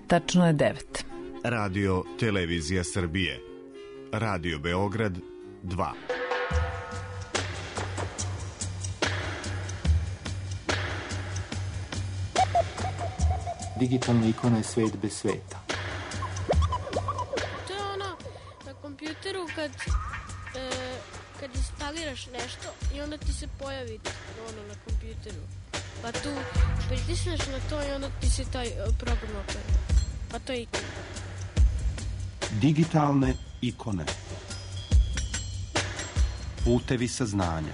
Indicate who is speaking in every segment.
Speaker 1: tačno je 9.
Speaker 2: Radio Televizija Srbije. Radio Beograd 2.
Speaker 3: Digitalna ikona je svet bez sveta.
Speaker 4: To je ono na kompjuteru kad instaliraš nešto i onda ti se pojavi ono na kompjuteru. Pa tu pritisneš na to i onda ti se taj program otvori. Pa to je ikona.
Speaker 3: Digitalne ikone. Putevi saznanja.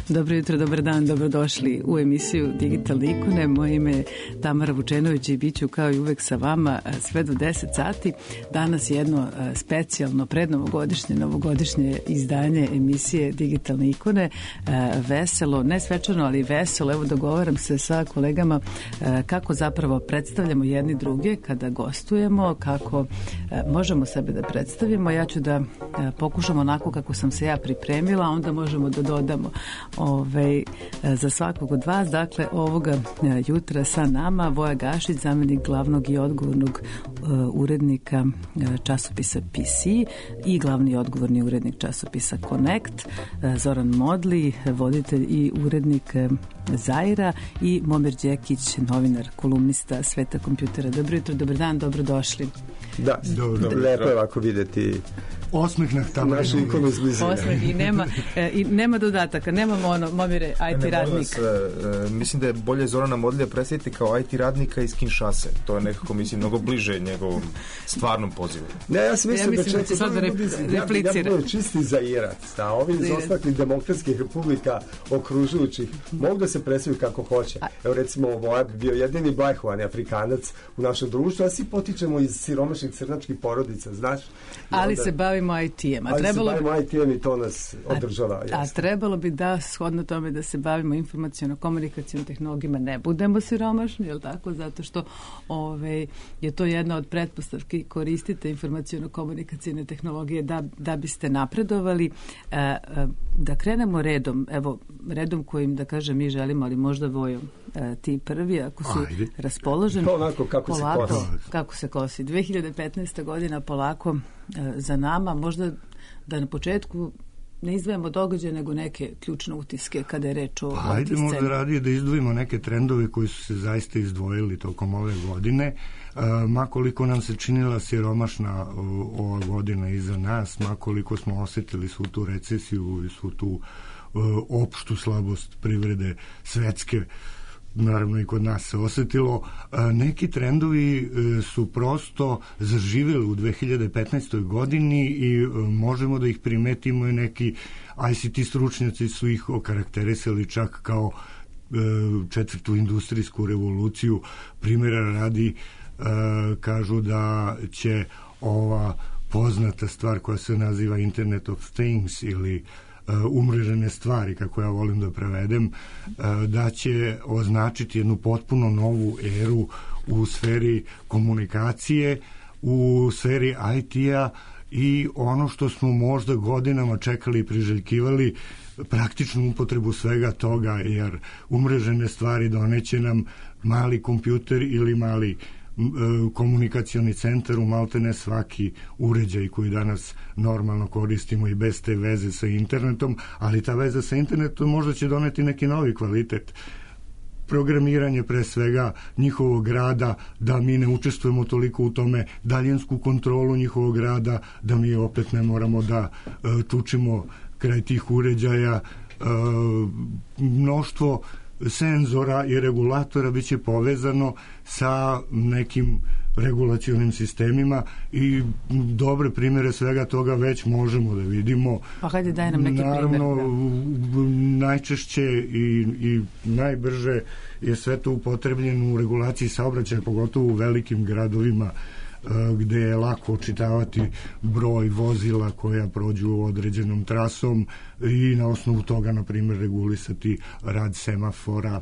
Speaker 1: Dobro jutro, dobar dan, dobrodošli u emisiju Digitalne ikone. Moje ime je Tamara Vučenović i bit ću kao i uvek sa vama sve do 10 sati. Danas je jedno specijalno novogodišnje izdanje emisije Digitalne ikone. Veselo, ne svečano, ali veselo. Evo dogovaram se sa kolegama kako zapravo predstavljamo jedni druge kada gostujemo, kako možemo sebe da predstavimo. Ja ću da pokušam onako kako sam se ja pripremila, onda možemo da dodamo za svakog od vas. Dakle, ovoga jutra sa nama Voja Gašić, zamenik glavnog i odgovornog urednika časopisa PC i glavni i odgovorni urednik časopisa Connect, Zoran Modli, voditelj i urednik Zaira, i Momir Đekić, novinar, kolumnista Sveta kompjutera. Dobro jutro, dobar dan, dobrodošli.
Speaker 5: Da, lepo je ovako videti osmeh na tamo našu ikonu izblizine.
Speaker 1: Osmeh i nema dodataka, nemamo ono, Momire, IT radnik.
Speaker 6: Mislim da je bolje Zorana Modlija predstaviti kao IT radnika iz Kinshase. To je nekako, mislim, mnogo bliže njegovom stvarnom pozivu.
Speaker 5: Ne, ja sam mislim
Speaker 1: da će sad replicira.
Speaker 5: Ja budem čisti Zairac, da ovi iz ostalih demokratskih republika okružujućih mogu da se predstavljaju kako hoće. Evo recimo, Voja bi bio jedini blajhovani Afrikanac u našem društvu, a svi potičemo iz siromašnih crnačkih porodica, znaš?
Speaker 1: Ali se bavimo IT-em.
Speaker 5: Ali se bavimo IT-em i to nas održava.
Speaker 1: A trebalo bi da, shodno tome, da se bavimo informaciono-komunikacijom tehnologijama, ne budemo siromašni, je li tako? Zato što je to jedna od pretpostavki, koristite informaciono-komunikacijne tehnologije da biste napredovali. Da krenemo redom, evo, redom kojim, da kažem, mi želimo, ali možda Vojo, ti prvi, ako si raspoložen.
Speaker 5: To onako kako polako, se kosi.
Speaker 1: Kako se kosi. 2015. godina polako za nama, možda da na početku ne izdvajamo događaje, nego neke ključne utiske kada je reč o
Speaker 7: Ajde možda radije da izdvojimo neke trendove koji su se zaista izdvojili tokom ove godine. Makoliko nam se činila siromašna ova godina iza nas, makoliko smo osetili svu tu recesiju i svu tu opštu slabost privrede svetske, naravno i kod nas se osetilo, neki trendovi su prosto zaživjeli u 2015. godini i možemo da ih primetimo, i neki ICT stručnjaci su ih okarakterisali čak kao četvrtu industrijsku revoluciju. Primjera radi, kažu da će ova poznata stvar koja se naziva Internet of Things ili umrežene stvari, kako ja volim da prevedem, da će označiti jednu potpuno novu eru u sferi komunikacije, u sferi IT-a i ono što smo možda godinama čekali i priželjkivali, praktičnu upotrebu svega toga, jer umrežene stvari doneće nam mali kompjuter ili mali komunikacioni centar u maltene svaki uređaj koji danas normalno koristimo i bez te veze sa internetom, ali ta veza sa internetom možda će doneti neki novi kvalitet. Programiranje pre svega njihovog rada, da mi ne učestvujemo toliko u tome, daljinsku kontrolu njihovog rada, da mi opet ne moramo da čučimo kraj tih uređaja, mnoštvo senzora i regulatora biće povezano sa nekim regulacionim sistemima i dobre primjere svega toga već možemo da vidimo.
Speaker 1: Pa hajde daj nam neki primjer.
Speaker 7: Naravno, najčešće i najbrže je sve to upotrebljeno u regulaciji saobraćaja, pogotovo u velikim gradovima gde je lako očitavati broj vozila koja prođu određenom trasom i na osnovu toga, na primjer, regulisati rad semafora,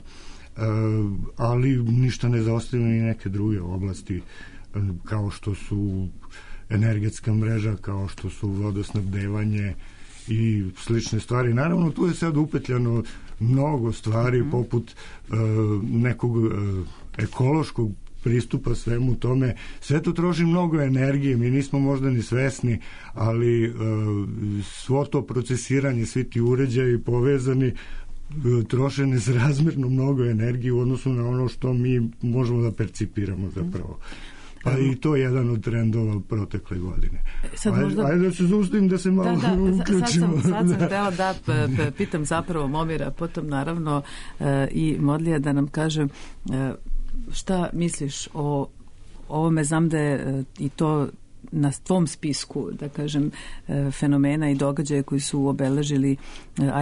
Speaker 7: ali ništa ne zaostavljeno i neke druge oblasti kao što su energetska mreža, kao što su vodosnabdevanje i slične stvari. Naravno, tu je sad upetljano mnogo stvari poput nekog ekološkog pristupa svemu tome. Sve to troši mnogo energije, mi nismo možda ni svesni, ali svo to procesiranje, svi ti uređaji povezani troše nesrazmjerno mnogo energije u odnosu na ono što mi možemo da percipiramo zapravo. Pa i to je jedan od trendova protekle godine. Ajde da se zaustavim, da se malo uključimo.
Speaker 1: Sad sam htjela da pitam zapravo Momira, potom naravno i Modlija da nam kaže šta misliš o ovome. Znam da je i to na tvom spisku, da kažem, fenomena i događaje koji su obeležili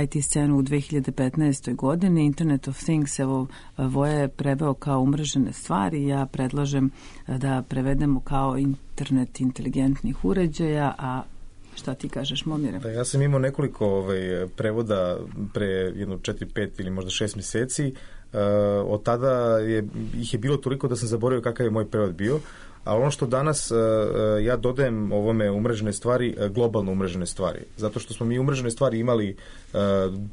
Speaker 1: IT scenu u 2015. godini. Internet of Things, evo, Voja je preveo kao umrežene stvari. Ja predlažem da prevedemo kao internet inteligentnih uređaja, a šta ti kažeš, Momire?
Speaker 6: Da, ja sam imao nekoliko prevoda pre jedno 4-5 ili možda 6 mjeseci. Od tada ih je bilo toliko da sam zaboravio kakav je moj prevod bio. Ali ono što danas ja dodajem ovome umrežene stvari, globalno umrežene stvari. Zato što smo mi umrežene stvari imali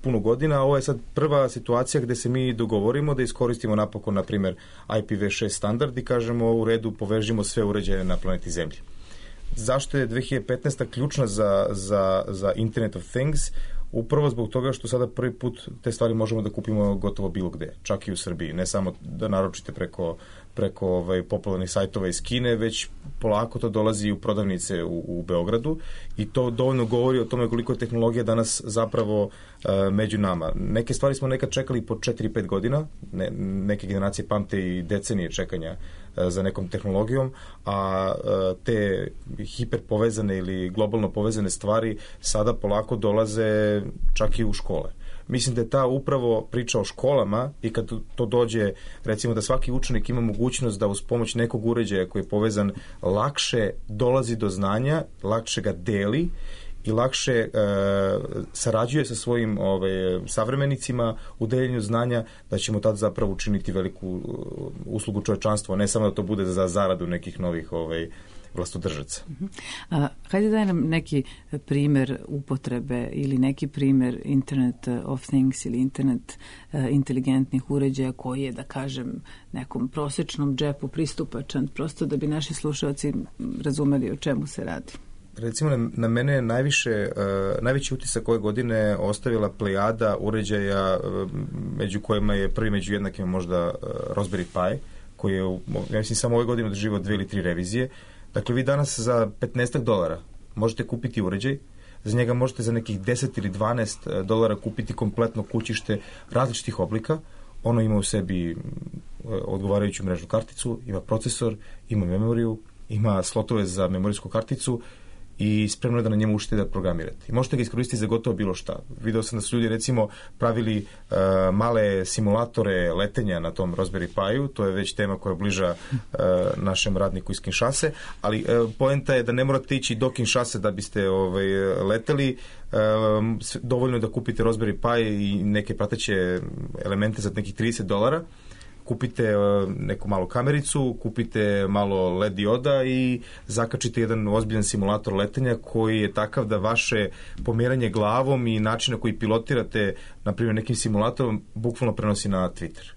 Speaker 6: puno godina, a ovo je sad prva situacija gdje se mi dogovorimo da iskoristimo napokon, na primjer, IPv6 standard i kažemo u redu, povežimo sve uređaje na planeti Zemlji. Zašto je 2015. ključna za Internet of Things? Upravo zbog toga što sada prvi put te stvari možemo da kupimo gotovo bilo gde, čak i u Srbiji. Ne samo da naručite preko popularnih sajtova iz Kine, već polako to dolazi u prodavnice u Beogradu i to dovoljno govori o tome koliko je tehnologija danas zapravo među nama. Neke stvari smo nekad čekali po 4-5 godina, neke generacije pamte i decenije čekanja za nekom tehnologijom, a te hiperpovezane ili globalno povezane stvari sada polako dolaze čak i u škole. Mislim da je ta upravo priča o školama i kad to dođe, recimo da svaki učenik ima mogućnost da uz pomoć nekog uređaja koji je povezan lakše dolazi do znanja, lakše ga deli i lakše sarađuje sa svojim savremenicima u deljenju znanja, da ćemo tad zapravo učiniti veliku uslugu čovečanstva, ne samo da to bude za zaradu nekih novih vlastodržaca.
Speaker 1: Hajde daj nam neki primjer upotrebe ili neki primjer Internet of Things ili internet inteligentnih uređaja koji je, da kažem, nekom prosječnom džepu pristupačan, prosto da bi naši slušalci razumeli o čemu se radi.
Speaker 6: Recimo, na mene je najveći utisak ove godine ostavila plejada uređaja među kojima je prvi među jednakima možda Raspberry Pi, koji je, ja mislim, samo ove godine doživio 2 ili 3 revizije. Dakle, vi danas za $15 možete kupiti uređaj, za njega možete za nekih $10 ili $12 kupiti kompletno kućište različitih oblika. Ono ima u sebi odgovarajuću mrežnu karticu, ima procesor, ima memoriju, ima slotove za memorijsku karticu i spremno je da na njemu učite da programirate. I možete ga iskoristiti za gotovo bilo šta. Video sam da su ljudi recimo pravili male simulatore letenja na tom Raspberry Pi-u, to je već tema koja bliža našem radniku iz Kinshase, ali poenta je da ne morate ići do Kinshase da biste leteli, dovoljno je da kupite Raspberry Pi i neke prateće elemente za nekih $30, kupite neku malu kamericu, kupite malo LED dioda i zakačite jedan ozbiljan simulator letenja koji je takav da vaše pomeranje glavom i način na koji pilotirate, na primjer, nekim simulatorom, bukvalno prenosi na Twitter.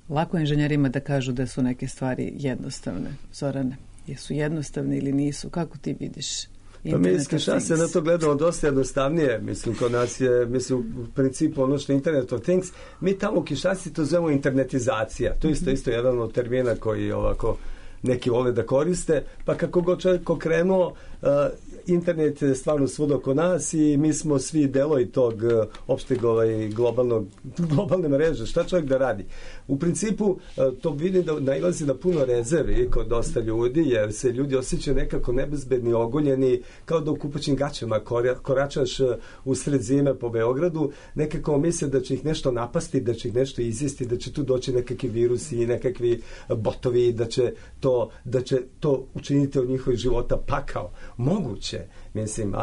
Speaker 1: Lako inženjerima da kažu da su neke stvari jednostavne. Zorane, jesu jednostavne ili nisu? Kako ti vidiš?
Speaker 5: Pa mislim, šta se na to gledamo dosta jednostavnije, mislim, kod nas je, mislim, u principu ono što je Internet of Things, mi tamo u Kinshasi to zovemo internetizacija, to je isto jedan od termina koji ovako neki vole da koriste, pa kako god čovjek okrenuo, internet je stvarno svud oko nas i mi smo svi delovi tog opšteg globalne mreže. Šta čovjek da radi? U principu to vidim da nailazi na puno rezervi kod dosta ljudi, jer se ljudi osjećaju nekako nebezbedni, ogoljeni, kao da u kupaćim gaćama koračaš usred zime po Beogradu, nekako misle da će ih nešto napasti, da će ih nešto izjesti, da će tu doći nekakvi virusi i nekakvi botovi, da će to učiniti od njihovih života pakao. Moguće. Mislim,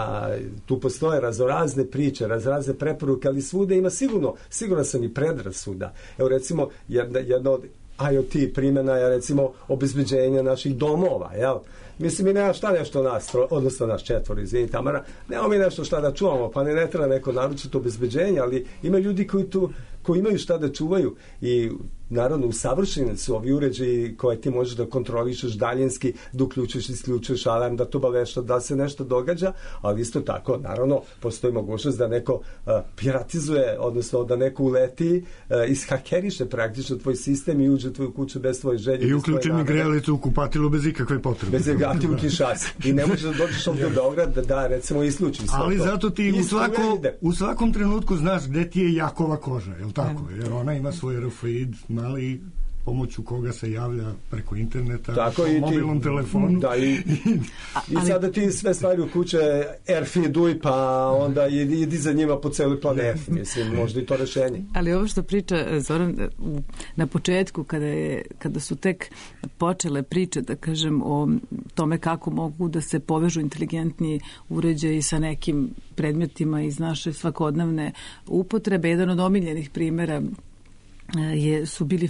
Speaker 5: tu postoje raznorazne priče, raznorazne preporuke, ali svuda ima sigurno sam i predrasuda. Evo recimo, jedna od IoT primjena je recimo obezbeđenje naših domova, jel? Mislim, mi nema šta nešto nas četvoro, izvini Tamara, nema mi nešto šta da čuvamo, pa ne treba neko naručiti obezbeđenje, ali ima ljudi koji imaju šta da čuvaju i naravno usavršeni su ovi uređaji koje ti možeš da kontrolišeš daljinski, da uključuješ i isključuješ alarm, da to obavešta da se nešto događa, ali isto tako, naravno, postoji mogućnost da neko piratizuje, odnosno da neko uleti, ishakeriše praktično tvoj sistem i uđe u tvoju kuću bez tvoje želje.
Speaker 7: I uključi mi grejalicu u kupatilu bez ikakve potrebe.
Speaker 5: Bez ikakve u Kinshasi. I ne možeš da dođeš ovdje u Beograd da recimo isključiš.
Speaker 7: Ali zato ti u svakom trenutku znaš gde ti je Jakova koža, je li tako? Jer ona ima svoj RFID mali pomoću koga se javlja preko interneta, tako, po mobilnom telefonu.
Speaker 5: Da, i sada ti sve stvari u kuće RFID-uj, pa onda idi za njima po celoj planeti. Mislim, možda i to rešenje.
Speaker 1: Ali ovo što priča Zoran, na početku, kada su tek počele priče, da kažem, o tome kako mogu da se povežu inteligentni uređaji sa nekim predmetima iz naše svakodnevne upotrebe, jedan od omiljenih primjera su bili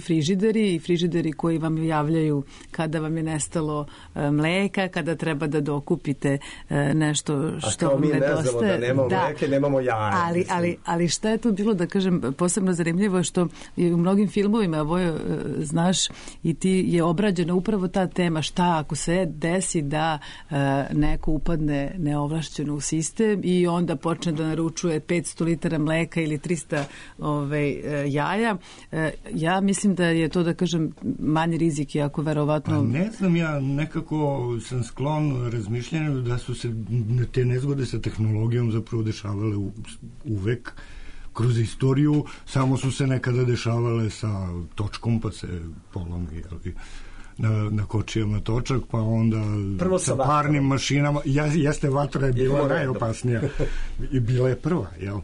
Speaker 1: frižideri koji vam javljaju kada vam je nestalo mleka, kada treba da dokupite nešto što vam nedostaje. A kao mi ne znamo da nemamo mleke, nemamo jaja. Ali šta je tu bilo, da kažem, posebno zanimljivo što je u mnogim filmovima, Vojo, znaš, i ti je obrađena upravo ta tema, šta ako se desi da neko upadne neovlašćeno u sistem i onda počne da naručuje 500 litara mleka ili 300 jaja. Ja mislim da je to, da kažem, manji rizik, iako verovatno...
Speaker 7: Pa ne znam, ja nekako sam sklon razmišljanju da su se te nezgode sa tehnologijom zapravo dešavale uvek kroz istoriju, samo su se nekada dešavale sa točkom, pa se polomi na kočijama točak, pa onda sa parnim mašinama. Jeste, vatra je bila najopasnija i bila je prva, jel?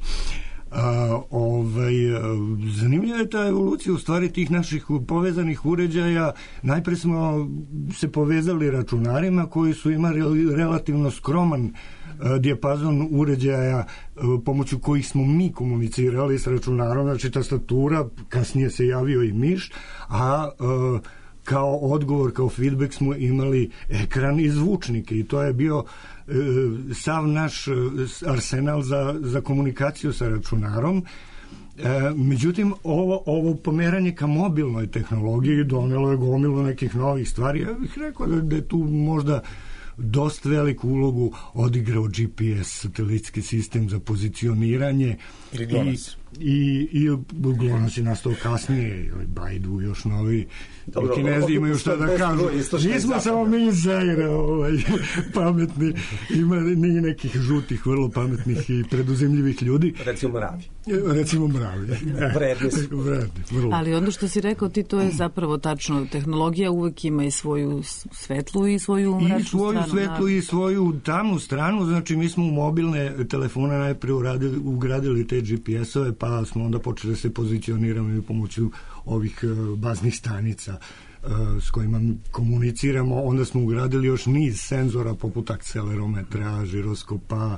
Speaker 7: Zanimljiva je ta evolucija u stvari tih naših povezanih uređaja. Najpre smo se povezali računarima koji su imali relativno skroman dijapazon uređaja pomoću kojih smo mi komunicirali s računarom, znači tastatura, kasnije se javio i miš, a kao odgovor, kao feedback smo imali ekran i zvučnike i to je bio sav naš arsenal za komunikaciju sa računarom. Međutim, ovo pomeranje ka mobilnoj tehnologiji donelo je gomilu nekih novih stvari. Ja bih rekao da je tu možda dosta veliku ulogu odigrao GPS, satelitski sistem za pozicioniranje i GLONASS je nastao kasnije, Baidu još novi. Dobro, Kinezi imaju šta da kažu. Nismo samo mi Zaire pametni, ima nekih žutih, vrlo pametnih i preduzimljivih ljudi. Recimo mravi.
Speaker 1: Vredni. Ali ono što si rekao ti, to je zapravo tačno. Tehnologija uvek ima i svoju svetlu i svoju mračnu stranu.
Speaker 7: I svoju svetlu i svoju tamnu stranu. Znači, mi smo u mobilne telefone najprije ugradili te GPS-ove, pa smo onda počeli da se pozicioniramo i pomoću ovih baznih stanica s kojima komuniciramo. Onda smo ugradili još niz senzora poput akcelerometra, žiroskopa,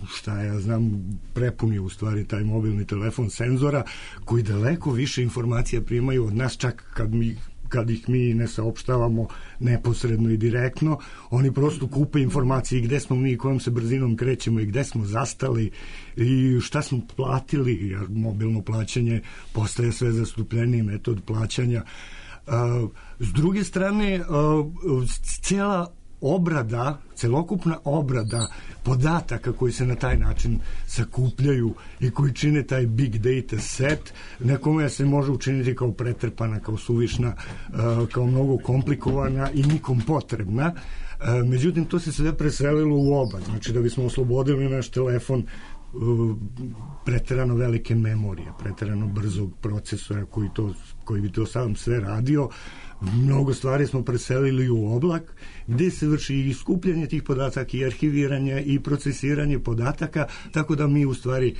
Speaker 7: šta ja znam, prepuni u stvari taj mobilni telefon senzora koji daleko više informacija primaju od nas, čak kad ih mi ne saopštavamo neposredno i direktno, oni prosto kupe informacije i gde smo mi, kojom se brzinom krećemo i gde smo zastali i šta smo platili, jer mobilno plaćanje postaje sve zastupljeniji metod plaćanja. S druge strane, celokupna obrada podataka koji se na taj način sakupljaju i koji čine taj big data set, nekome se može učiniti kao pretrpana, kao suvišna, kao mnogo komplikovana i nikom potrebna. Međutim, to se sve preselilo u oba. Znači, da bismo oslobodili naš telefon preterano velike memorije, preterano brzog procesora koji bi to sam sve radio, mnogo stvari smo preselili u oblak, gde se vrši i skupljanje tih podataka i arhiviranje i procesiranje podataka, tako da mi u stvari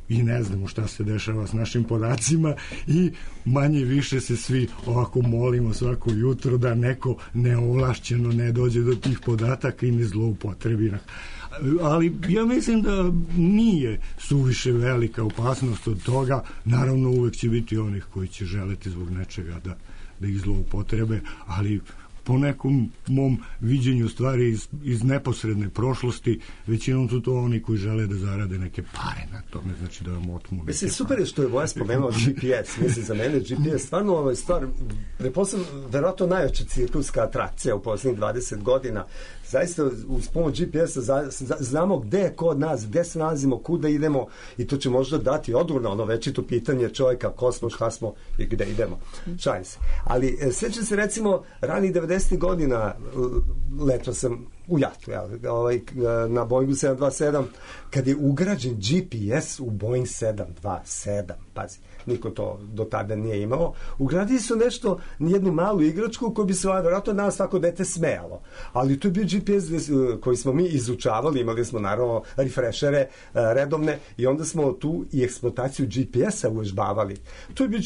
Speaker 7: i ne znamo šta se dešava s našim podacima i manje više se svi ovako molimo svako jutro da neko neovlašćeno ne dođe do tih podataka i ne zloupotrebi. Ali ja mislim da nije suviše velika opasnost od toga. Naravno, uvek će biti onih koji će želeti zbog nečega da ih zloupotrebe, ali po nekom mom viđenju stvari iz neposredne prošlosti, većinom su to oni koji žele da zarade neke pare na tome, znači da vam otmu.
Speaker 5: Mislim, super je što je Voja spomenuo GPS. Mislim, za mene GPS stvarno ovo je stvar, preposledno, verovatno najveća cirkuska atrakcija u poslednjih 20 godina. Zaista, uz pomoć GPS-a znamo gde je kod nas, gde se nalazimo, kuda idemo i to će možda dati odgovor na ono večito pitanje čovjeka, ko smo, šta smo i gde idemo. Šalim se. Ali sećam se recimo ranih 90. godina, letao sam u Jatu, na Boeingu 727, kad je ugrađen GPS u Boeing 727, pazi, niko to do tada nije imao, ugradili su nešto, jednu malu igračku koju bi se vjerojatno nas svako dete smejalo, ali to je bio GPS koji smo mi izučavali, imali smo naravno refreshere redovne i onda smo tu i eksploataciju GPS-a uvežbavali. To je bio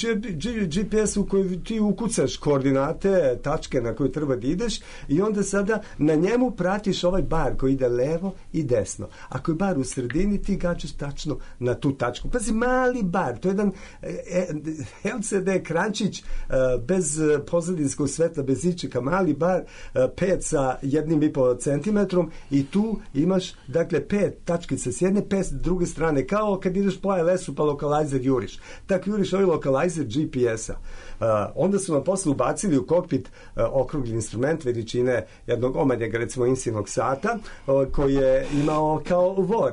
Speaker 5: GPS u kojoj ti ukucaš koordinate, tačke na koje treba da ideš i onda sada na njemu pratiš ovaj bar koji ide levo i desno. Ako je bar u sredini, ti gađaš tačno na tu tačku. Pazi, mali bar, to je jedan LCD ekrančić bez pozadinskog svetla, bez ičeka, mali bar 5 sa 1,5 centimetrom i tu imaš, dakle, 5 tačkica s jedne, 5 s druge strane, kao kad ideš po ALS-u pa lokalizer juriš. Tako juriš ovaj lokalizer GPS-a. Onda su nam posle ubacili u kokpit okrugli instrument veličine jednog omanjega, recimo insinog sata, koji je imao kao vor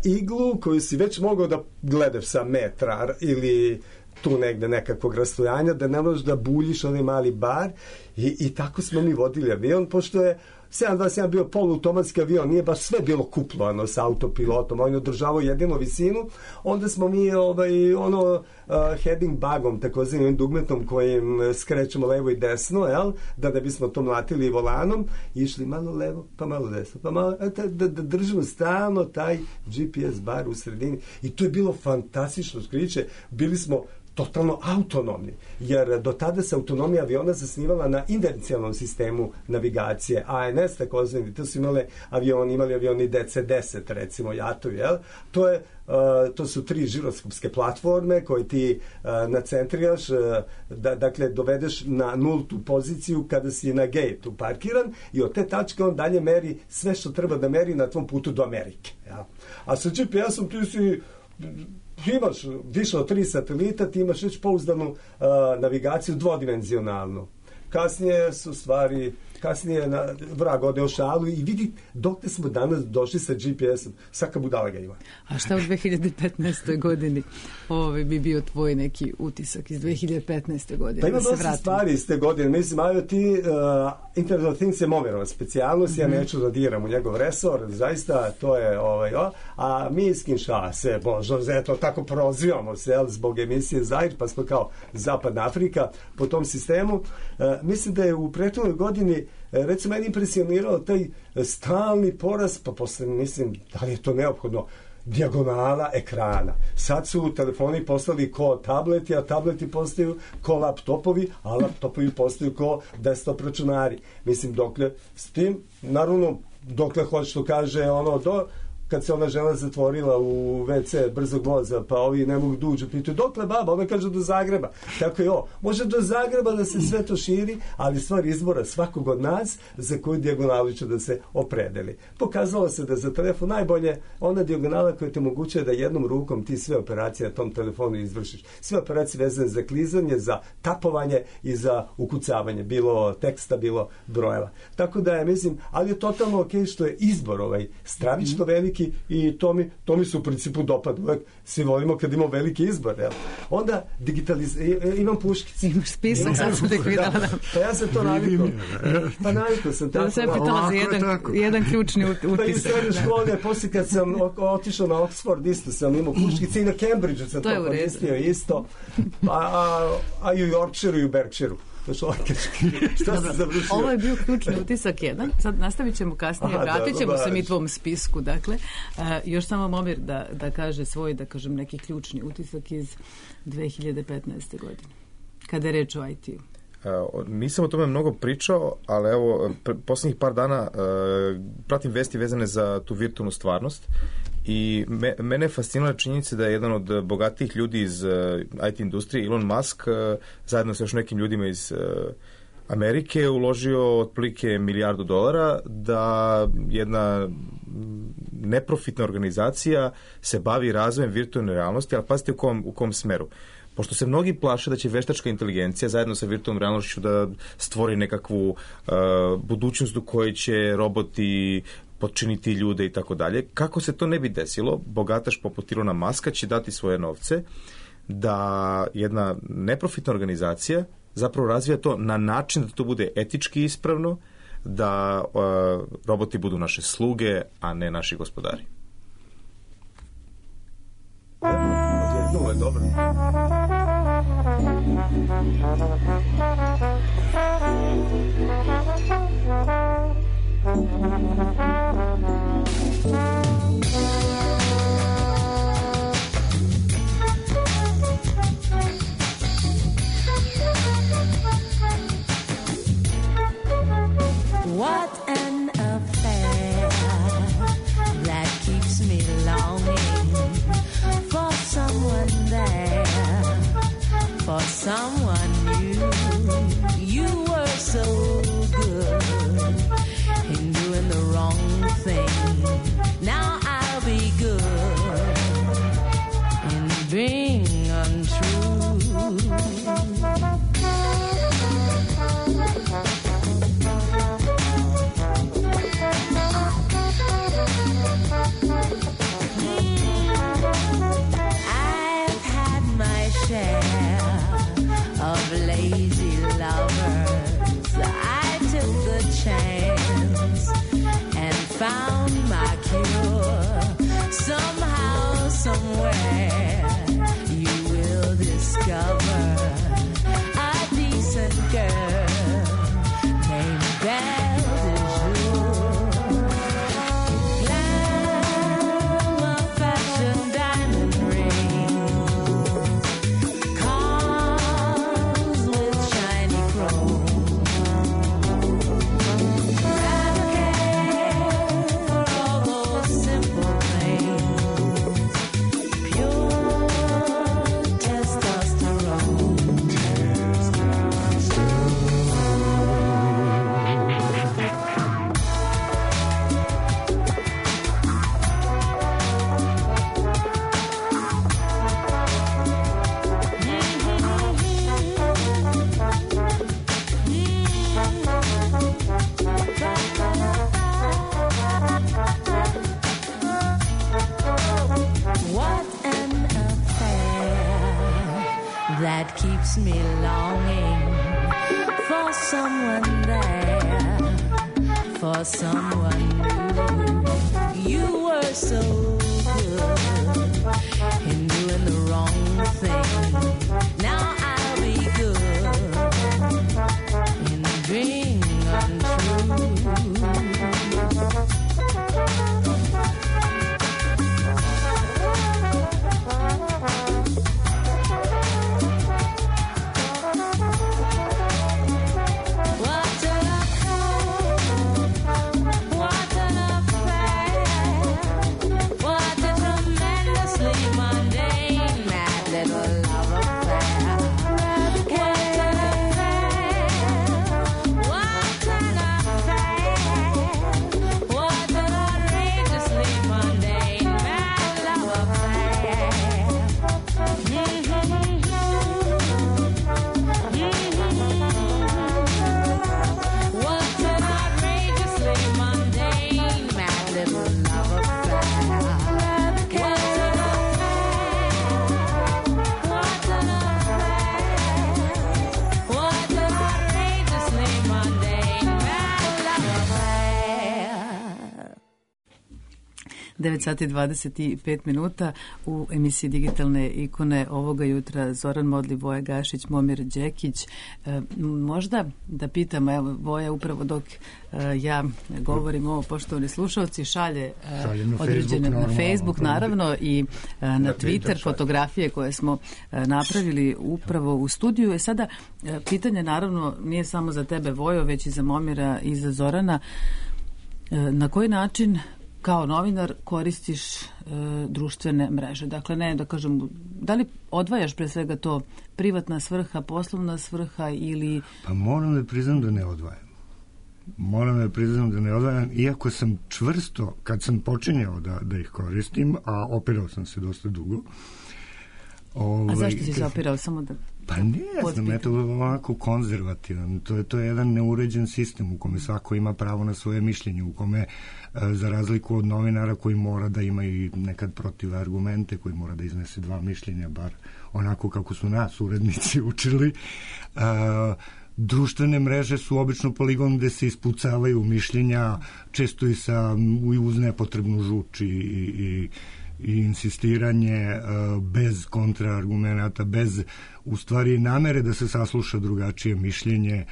Speaker 5: iglu koju si već mogao da gledaš sa metra ili tu negde nekakvog rastojanja, da ne možeš da buljiš onaj mali bar i tako smo mi vodili avion, pošto je 727 bio poluautomatski avion, nije baš sve bilo kuplovano sa autopilotom, on je održavao jedinu visinu, onda smo mi heading bugom, takozvanim dugmetom kojim skrećemo levo i desno, da bismo to mlatili volanom, išli malo levo, pa malo desno, pa malo, da držimo stalno taj GPS bar u sredini i to je bilo fantastično otkriće, bili smo totalno autonomni, jer do tada se autonomija aviona zasnivala na inercijalnom sistemu navigacije, ANS takozvani, to su imali avioni DC-10, recimo jatovi, to su 3 žiroskopske platforme koje ti nacentriraš, dakle dovedeš na nultu poziciju kada si na gate-u parkiran i od te tačke on dalje meri sve što treba da meri na tvom putu do Amerike. A sa GPS-om ti si imaš više od 3 satelita, ti imaš već pouzdanu navigaciju dvodimenzionalnu. Kasnije vrag ode o šalu i vidi dokle smo danas došli sa GPS-om. Svaka budala ga ima.
Speaker 1: A šta u 2015. godini bi bio tvoj neki utisak iz 2015. godine?
Speaker 5: Pa ima dosta stvari iz te godine. Mislim, IoT, Internet of Things je Momerova specijalnost, ja neću da diram u njegov resor, zaista to je a mi iz Kinshase, eto, tako prozivamo se zbog emisije Zair, pa smo kao Zapadna Afrika po tom sistemu. Mislim da je u prethodnoj godini recimo meni impresionirao taj stalni porast, pa posle mislim da li je to neophodno, dijagonala ekrana. Sad su telefoni postali ko tableti, a tableti postaju ko laptopovi, a laptopovi postaju ko desktop računari. Mislim, dokle s tim, naravno, dokle hoće što kaže kad se ona žena zatvorila u WC brzog voza, pa ovi ne mogu da uđu, pitaju, dokle baba? Ona kaže do Zagreba. Tako je može do Zagreba da se sve to širi, ali stvar izbora svakog od nas za koju dijagonalu će da se opredeli. Pokazalo se da za telefon najbolje ona dijagonala koja te omogućuje da jednom rukom ti sve operacije na tom telefonu izvršiš. Sve operacije vezane za klizanje, za tapovanje i za ukucavanje, bilo teksta, bilo brojeva. Tako da je, mislim, ali je totalno okej što je izbor stravično veliki i to mi se u principu dopada. Uvek svi volimo kad imamo veliki izbor. Onda imam puškice.
Speaker 1: Imaš spisak, sad sam tek videla.
Speaker 5: Pa ja sam to navikao. Pa navikao sam tako.
Speaker 1: Da se pitala za jedan ključni utisak.
Speaker 5: Pa i u srednjoj školi, poslije kad sam otišao na Oxford, isto sam imao puškice i na Cambridgeu sam to koristio isto. A i u Yorkshireu i u Berkshireu.
Speaker 1: Ovo je bio ključni utisak jedan. Sad nastavit ćemo kasnije, vratit ćemo se mi tvom spisku. Dakle, još samo Momir da kaže svoj, da kažem, neki ključni utisak iz 2015. godine, kada je reč o IT-u.
Speaker 6: Nisam o tome mnogo pričao, ali evo, posljednjih par dana pratim vesti vezane za tu virtualnu stvarnost i mene je fascinala činjenica da je jedan od bogatijih ljudi iz IT industrije, Elon Musk, zajedno sa još nekim ljudima iz Amerike uložio otprilike $1 milijardu da jedna neprofitna organizacija se bavi razvojem virtualne realnosti, ali pazite u kom smeru. Pošto se mnogi plaše da će veštačka inteligencija zajedno sa virtualnom realnošću da stvori nekakvu budućnost u kojoj će roboti potčiniti ljude i tako dalje. Kako se to ne bi desilo, bogataš poput Elona Muska će dati svoje novce da jedna neprofitna organizacija zapravo razvija to na način da to bude etički ispravno, da roboti budu naše sluge, a ne naši gospodari.
Speaker 5: Ovo je dobro.
Speaker 8: What an affair that keeps me longing for someone there, for someone new. You were so good in doing the wrong thing. Now I'll be good in being untrue. Of lazy lovers, I took the chance and found my cure. Somehow, somewhere, you will discover a decent girl named Belle de Jour. Glamour, fashion, diamond ring. That keeps me longing for someone there, for someone new. You were so good in doing the wrong thing. Now I'll be good in being untrue.
Speaker 1: 9 sati 25 minuta u emisiji Digitalne ikone ovoga jutra Zoran Modli, Voja Gašić, Momir Đekić. Možda da pitam, evo Voja upravo dok ja govorim ovo, poštovani slušalci, šalje određene na Facebook naravno i na Twitter fotografije koje smo napravili upravo u studiju. I sada pitanje naravno nije samo za tebe Vojo, već i za Momira i za Zorana. Na koji način kao novinar koristiš društvene mreže? Dakle, ne da kažem, da li odvajaš pre svega to privatna svrha, poslovna svrha ili...
Speaker 7: Pa moram da priznam da ne odvajam. Iako sam čvrsto, kad sam počinjao da ih koristim, a opirao sam se dosta dugo.
Speaker 1: A zašto si se opirao? Samo da...
Speaker 7: Pa ne znam, eto ovako konzervativan. To je jedan neuređen sistem u kome svako ima pravo na svoje mišljenje, u kome za razliku od novinara koji mora da ima i nekad protiv argumente, koji mora da iznese dva mišljenja, bar onako kako su nas urednici učili, društvene mreže su obično poligon gde se ispucavaju mišljenja, često i uz nepotrebnu žuč i insistiranje bez kontraargumenata, bez u stvari namere da se sasluša drugačije mišljenje.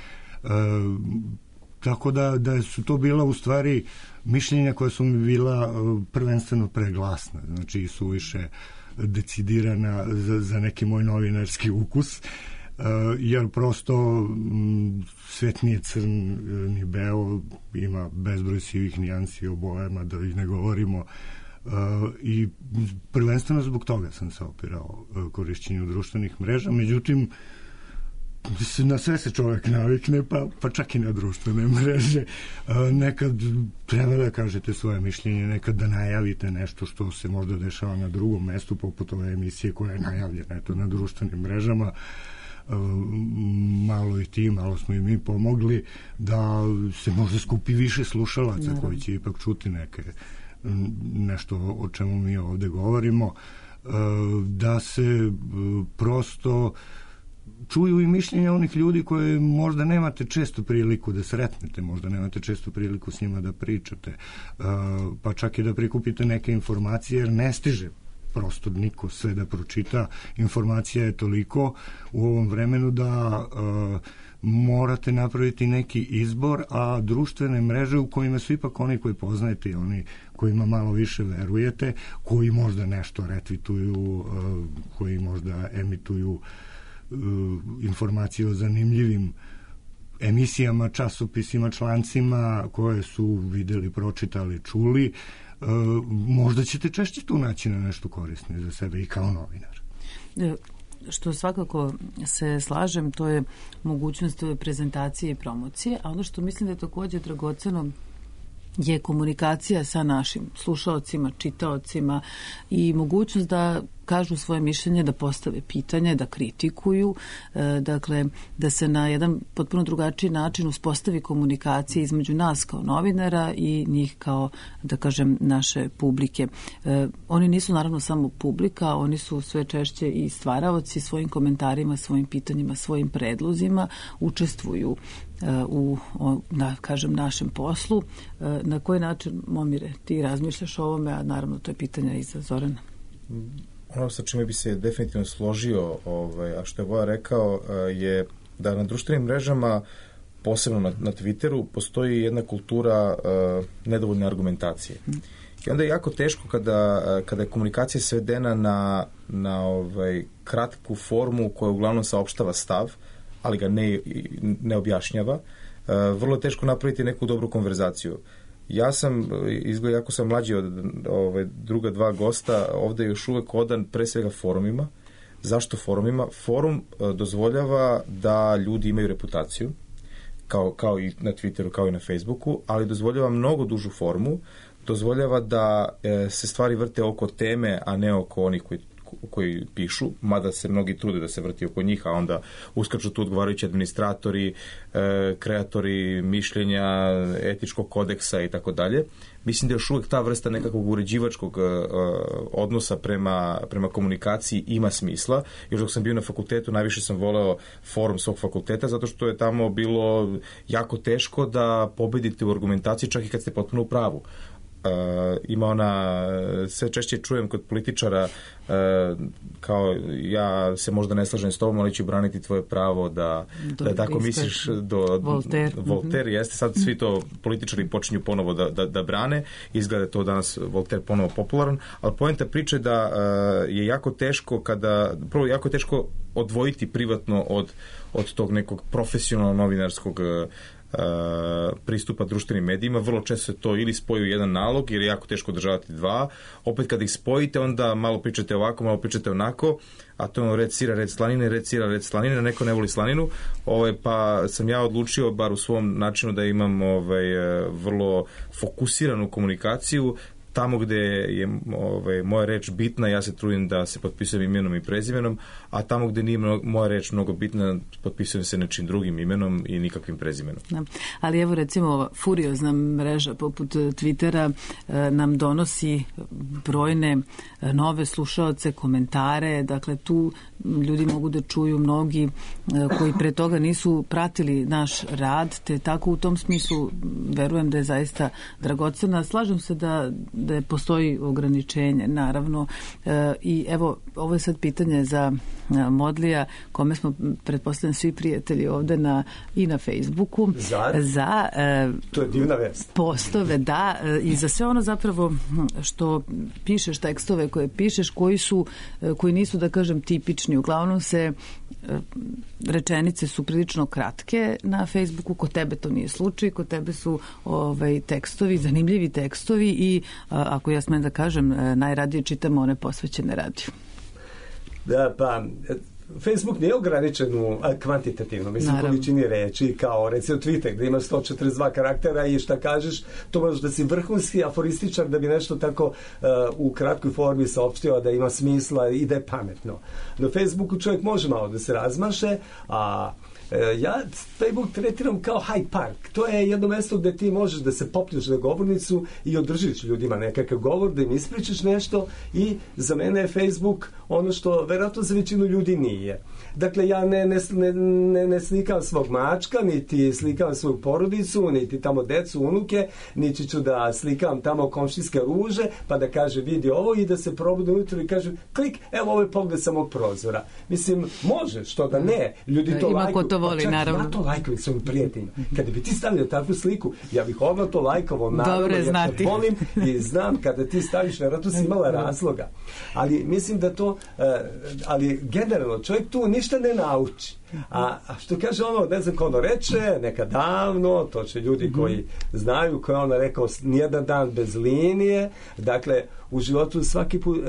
Speaker 7: Tako da su to bila u stvari mišljenja koja su mi bila prvenstveno preglasna, znači suviše decidirana za neki moj novinarski ukus, jer prosto svet nije crn ni beo, ima bezbroj sivih nijansi o bojama, da ih ne govorimo, i prvenstveno zbog toga sam se opirao korišćenju društvenih mreža. Međutim, na sve se čovjek navikne, pa čak i na društvene mreže. Nekad treba da kažete svoje mišljenje, nekad da najavite nešto što se možda dešava na drugom mestu, poput ove emisije koja je najavljena na društvenim mrežama. Malo i ti, malo smo i mi pomogli da se možda skupi više slušalaca koji će ipak čuti nešto o čemu mi ovde govorimo, da se prosto čuju i mišljenja onih ljudi koje možda nemate često priliku da sretnete, možda nemate često priliku s njima da pričate, pa čak i da prikupite neke informacije, jer ne stiže prosto niko sve da pročita. Informacija je toliko u ovom vremenu da morate napraviti neki izbor, a društvene mreže u kojima su ipak oni koji poznajete i oni kojima malo više verujete, koji možda nešto retvituju, koji možda emituju informacije o zanimljivim emisijama, časopisima, člancima koje su videli, pročitali, čuli, možda ćete češće tu naći na nešto korisno za sebe i kao novinar.
Speaker 1: Što svakako se slažem, to je mogućnost prezentacije i promocije, a ono što mislim da je također dragoceno je komunikacija sa našim slušaocima, čitaocima i mogućnost da kažu svoje mišljenje, da postave pitanje, da kritikuju, dakle, da se na jedan potpuno drugačiji način uspostavi komunikacija između nas kao novinara i njih kao, da kažem, naše publike. Oni nisu naravno samo publika, oni su sve češće i stvaraoci svojim komentarima, svojim pitanjima, svojim predlozima, učestvuju u, da kažem, našem poslu. Na koji način, Momire, ti razmišljaš o ovome, a naravno to je pitanje i za Zorana?
Speaker 6: Ono sa čime bi se definitivno složio, a što je Voja rekao, je da na društvenim mrežama, posebno na Twitteru, postoji jedna kultura nedovoljne argumentacije. I onda je jako teško kada je komunikacija svedena na kratku formu koja uglavnom saopštava stav, ali ga ne objašnjava, vrlo je teško napraviti neku dobru konverzaciju. Ja sam, izgleda jako sam mlađi od druga dva gosta, ovde još uvek odan pre svega forumima. Zašto forumima? Forum dozvoljava da ljudi imaju reputaciju, kao i na Twitteru, kao i na Facebooku, ali dozvoljava mnogo dužu formu, dozvoljava da se stvari vrte oko teme, a ne oko onih koji pišu, mada se mnogi trude da se vrti oko njih, a onda uskaču tu odgovarajući administratori, kreatori mišljenja, etičkog kodeksa i tako dalje. Mislim da još uvek ta vrsta nekakvog uređivačkog odnosa prema komunikaciji ima smisla. Još dok sam bio na fakultetu, najviše sam voleo forum svog fakulteta, zato što je tamo bilo jako teško da pobedite u argumentaciji, čak i kad ste potpuno u pravu. ima ona, sve češće čujem kod političara kao ja se možda ne slažem s tobom, ali ću braniti tvoje pravo da tako misliš do Voltaire jeste, sad svi to političari počinju ponovo da brane, izgleda to danas Voltaire ponovo popularan, ali poenta priče da je jako teško prvo jako teško odvojiti privatno od tog nekog profesionalno novinarskog pristupa društvenim medijima. Vrlo često se to ili spoji u jedan nalog, jer je jako teško održavati dva. Opet kada ih spojite, onda malo pričate ovako, malo pričate onako, a to je red sira, red slanine, red sira, red slanine, neko ne voli slaninu, pa sam ja odlučio, bar u svom načinu, da imam vrlo fokusiranu komunikaciju. Tamo gde je moja reč bitna, ja se trudim da se potpisujem imenom i prezimenom, a tamo gde nije moja reč mnogo bitna, potpisujem se nečim drugim imenom i nikakvim prezimenom.
Speaker 1: Da. Ali evo recimo furiozna mreža poput Twittera nam donosi brojne nove slušaoce, komentare, dakle tu ljudi mogu da čuju mnogi koji pre toga nisu pratili naš rad, te tako u tom smislu verujem da je zaista dragocena. Slažem se da postoji ograničenje, naravno. I evo, ovo je sad pitanje za Modlija, kome smo, pretpostavljam, svi prijatelji ovde i na Facebooku. Za
Speaker 5: to je divna vest.
Speaker 1: Postove, da, i za sve ono zapravo što pišeš, tekstove koje pišeš, koji nisu, da kažem, tipični. Uglavnom rečenice su prilično kratke na Facebooku, kod tebe to nije slučaj, kod tebe su tekstovi, zanimljivi tekstovi i ako ja smem da kažem, najradije čitamo one posvećene radiju.
Speaker 5: Da, pa Facebook nije ograničen kvantitativno, mislim, količini reči, kao recimo Twitter gde ima 142 karaktera i šta kažeš, to možeš da si vrhunski aforističar da bi nešto tako u kratkoj formi saopštio da ima smisla i da je pametno. Na Facebooku čovjek može malo da se razmaše, a ja Facebook tretiram kao Hyde Park. To je jedno mesto gde ti možeš da se popneš na govornicu i održiš ljudima nekakav govor, da im ispričaš nešto i za mene je Facebook ono što verovatno za većinu ljudi nije. Dakle, ja ne slikam svog mačka, niti slikam svoju porodicu, niti tamo decu, unuke, niti ću da slikam tamo komšijske ruže, pa da kaže vidi ovo i da se probude ujutro i kaže klik, evo ovo je pogled sa mog prozora. Mislim, može, što da ne, ljudi to lajkuju.
Speaker 1: Voli,
Speaker 5: čak
Speaker 1: naravno.
Speaker 5: Ja to lajkujem svojim prijateljima. Kada bi ti stavio takvu sliku, ja bih odmah to lajkovao, naravno, jer te volim i znam kada ti staviš, vjerojatno si imala razloga. Ali mislim da to, ali generalno, čovjek tu ništa ne nauči. A što kaže ono, ne znam ko ono reče, neka davno, to će ljudi koji znaju, ko je ono rekao, nijedan dan bez linije, dakle, u životu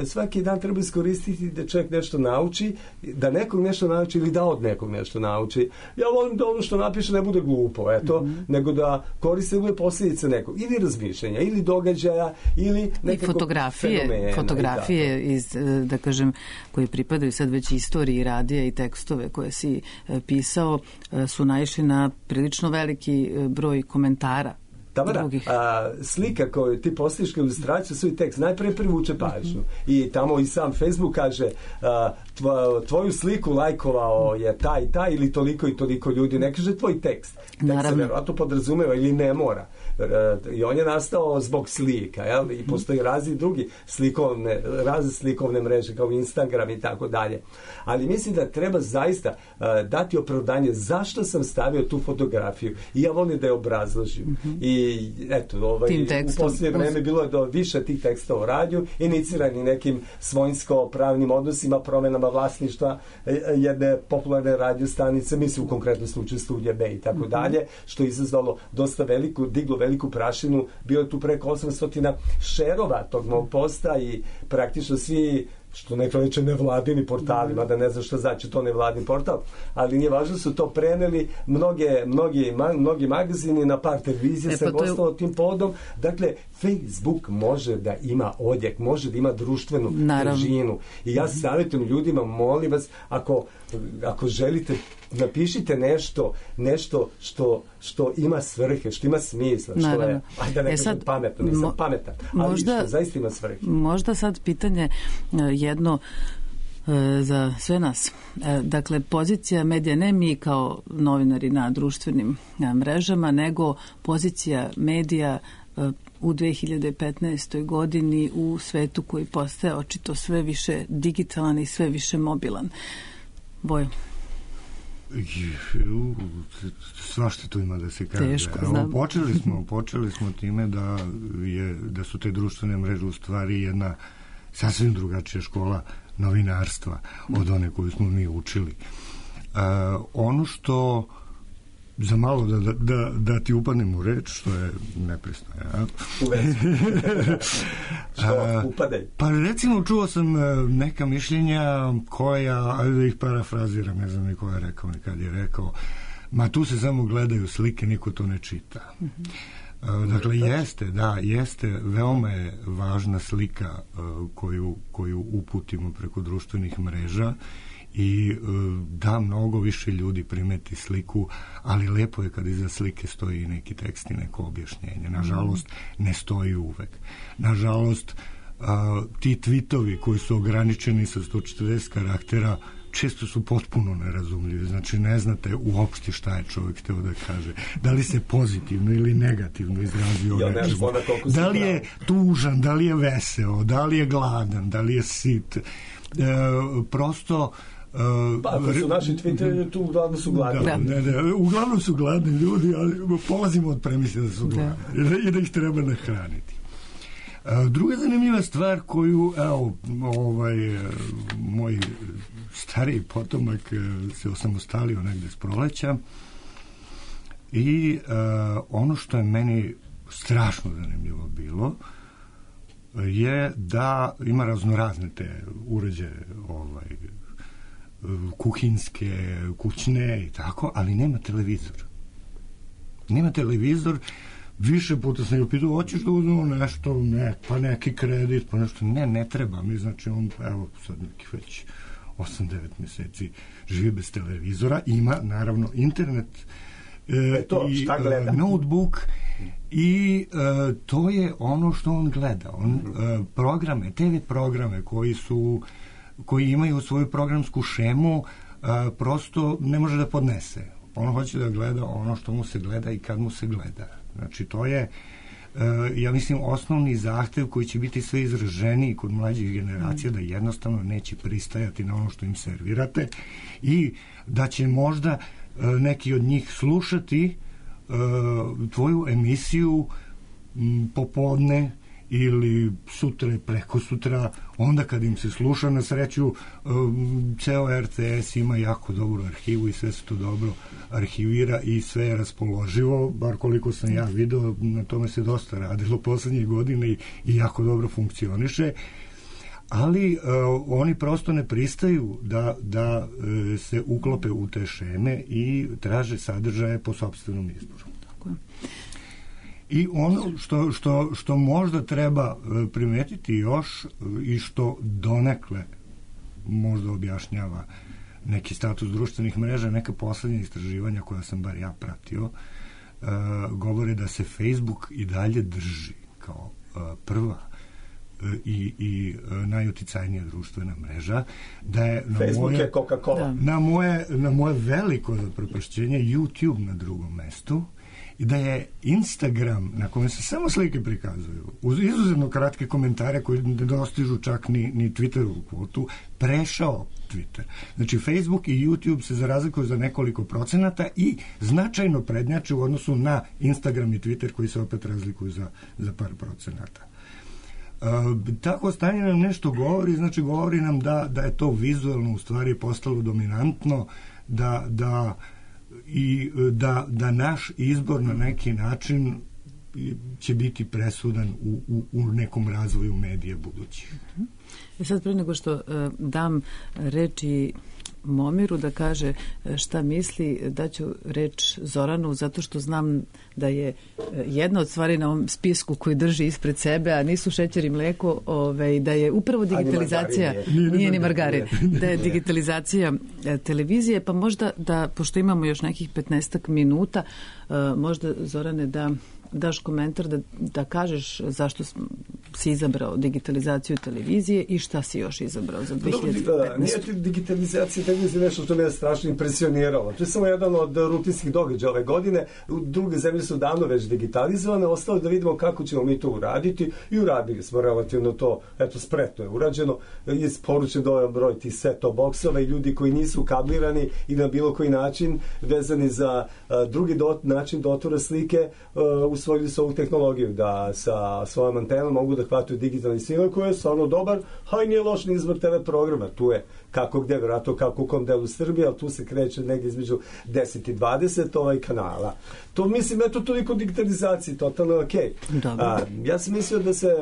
Speaker 5: svaki dan treba iskoristiti da čovjek nešto nauči, da nekog nešto nauči ili da od nekog nešto nauči. Ja volim da ono što napiše ne bude glupo, nego da koriste da bude posljedice nekog, ili razmišljenja, ili događaja, ili nekakvog fenomena.
Speaker 1: Fotografije iz, da kažem, koji pripadaju sad već istoriji radija i tekstove koje si pisao, su naišli na prilično veliki broj komentara.
Speaker 5: Tamara, slika koju ti postaviš kao ilustraciju svoj tekst najprije privuče pažnju i tamo i sam Facebook kaže tvoju sliku lajkovao je taj ili toliko i toliko ljudi, ne kaže tvoj tekst. Tekst se verovatno podrazumeva ili ne mora. I on je nastao zbog slika, jel? I postoji razne drugi razne slikovne mreže kao Instagram i tako dalje. Ali mislim da treba zaista dati opravdanje zašto sam stavio tu fotografiju i ja volim da je obrazložim. I eto, u posljednje vreme bilo je više tih teksta o radiju, inicirani nekim svojinsko-pravnim odnosima, promenama vlasništva jedne popularne radio stanice, mislim u konkretnom slučaju Studija B i tako dalje, što je izazvalo dosta diglo veliku prašinu, bilo je tu preko 800 šerova tog mog posta i praktično svi, što neko reče nevladini portali, mada ne znam što znači to nevladin portal, ali nije važno, su to preneli mnogi magazini, na par televizije se gostalo tim povodom. Dakle, Facebook može da ima odjek, može da ima društvenu težinu. I ja savjetujem ljudima, molim vas, ako želite, napišite nešto što ima svrhe, što ima smisla, što je, ajde ne kažem pametno, nisam pametan, ali što zaista ima svrhe.
Speaker 1: Možda sad pitanje jedno za sve nas. Dakle, pozicija medija, ne mi kao novinari na društvenim mrežama, nego pozicija medija u 2015. godini u svetu koji postaje očito sve više digitalan i sve više mobilan. Bojo.
Speaker 7: Svašta tu ima da se kaže.
Speaker 1: Teško, znam.
Speaker 7: Počeli smo time da su te društvene mreže u stvari jedna sasvim drugačija škola novinarstva od one koju smo mi učili. Ono što za malo da ti upadnem u reč, što je nepristojno. Ja?
Speaker 5: Što upadaj?
Speaker 7: Pa recimo čuo sam neka mišljenja koja, ajde da ih parafraziram, ne znam ni ko je rekao, nikad je rekao, ma tu se samo gledaju slike, niko to ne čita. Dakle, jeste, veoma je važna slika koju uputimo preko društvenih mreža i da mnogo više ljudi primeti sliku, ali lepo je kad iza slike stoji neki tekst i neko objašnjenje. Nažalost, ne stoji uvek. Nažalost, ti tweetovi koji su ograničeni sa 140 karaktera često su potpuno nerazumljivi. Znači, ne znate uopšte šta je čovjek hteo da kaže. Da li se pozitivno ili negativno izrazio nečemu. Da li je tužan, da li je veseo, da li je gladan, da li je sit. Prosto
Speaker 5: pa ako su naši Twitteri, tu uglavnom su gladni.
Speaker 7: Uglavnom su gladni ljudi, ali polazimo od premise da su gladni i da ih treba nahraniti. Druga zanimljiva stvar koju, moj stariji potomak se osamostalio negde s proleća i ono što je meni strašno zanimljivo bilo je da ima raznorazne te uređaje kuhinske, kućne i tako, ali nema televizor. Nema televizor. Više puta sam joj pitao, hoćeš da uzmemo nešto, pa neki kredit, pa nešto, ne treba mi, znači on, evo, sad nekih već 8-9 meseci živi bez televizora, ima, naravno, internet,
Speaker 5: šta gleda?
Speaker 7: Notebook i to je ono što on gleda. On programe, TV programe koji imaju svoju programsku šemu, prosto ne može da podnese. On hoće da gleda ono što mu se gleda i kad mu se gleda. Znači, to je, ja mislim, osnovni zahtev koji će biti sve izraženiji kod mlađih generacija, da jednostavno neće pristajati na ono što im servirate i da će možda neki od njih slušati tvoju emisiju popodne ili sutra i preko sutra, onda kad im se sluša. Na sreću, ceo RTS ima jako dobru arhivu i sve se to dobro arhivira i sve je raspoloživo, bar koliko sam ja video, na tome se dosta radilo poslednjih godina i jako dobro funkcioniše, ali oni prosto ne pristaju da se uklope u te šeme i traže sadržaje po sopstvenom izboru. Tako je. I ono što možda treba primetiti još i što donekle možda objašnjava neki status društvenih mreža, neka poslednja istraživanja koja sam bar ja pratio, govore da se Facebook i dalje drži kao prva i najuticajnija društvena mreža, da je
Speaker 5: Facebook je Coca-Cola.
Speaker 7: Na moje veliko zaprepašćenje YouTube na drugom mestu i da je Instagram, na kojem se samo slike prikazuju, uz izuzetno kratke komentare koji ne dostižu čak ni Twitterovu kvotu, prešao Twitter. Znači, Facebook i YouTube se razlikuju za nekoliko procenata i značajno prednjače u odnosu na Instagram i Twitter koji se opet razlikuju za par procenata. Tako stanje nam nešto govori, znači govori nam da je to vizualno u stvari postalo dominantno, da naš izbor na neki način će biti presudan u nekom razvoju medija budućih.
Speaker 1: Sad pre nego što dam reči Momiru da kaže šta misli, daću reč Zoranu, zato što znam da je jedna od stvari na ovom spisku koji drži ispred sebe, a nisu šećer i mleko, da je upravo digitalizacija, nije ni margarin, da je digitalizacija televizije, pa možda da, pošto imamo još nekih 15 minuta, možda, Zorane, da daš komentar, da kažeš zašto si izabrao digitalizaciju televizije i šta si još izabrao za 2015?
Speaker 5: Nije digitalizacija televizije nešto što me je strašno impresioniralo. To je samo jedan od rutinskih događaja ove godine. Druge zemlje su davno već digitalizovane, ostalo da vidimo kako ćemo mi to uraditi i uradili smo relativno to, eto, spretno je urađeno. Isporučen dovoljan broj tih set-top boksova i ljudi koji nisu kablirani i na bilo koji način vezani za drugi način dotura slike usvojili su ovu tehnologiju da sa svojom antenom mogu da hvataju digitalni signal koji je stvarno dobar, a i nije loš ni izbor TV programa. Tu je kako gde, vjerojatno kako u kom delu Srbije, ali tu se kreće negdje između 10 i 20 kanala. To mislim, eto, toliko digitalizacije, totalno je okej. Ja sam mislio da se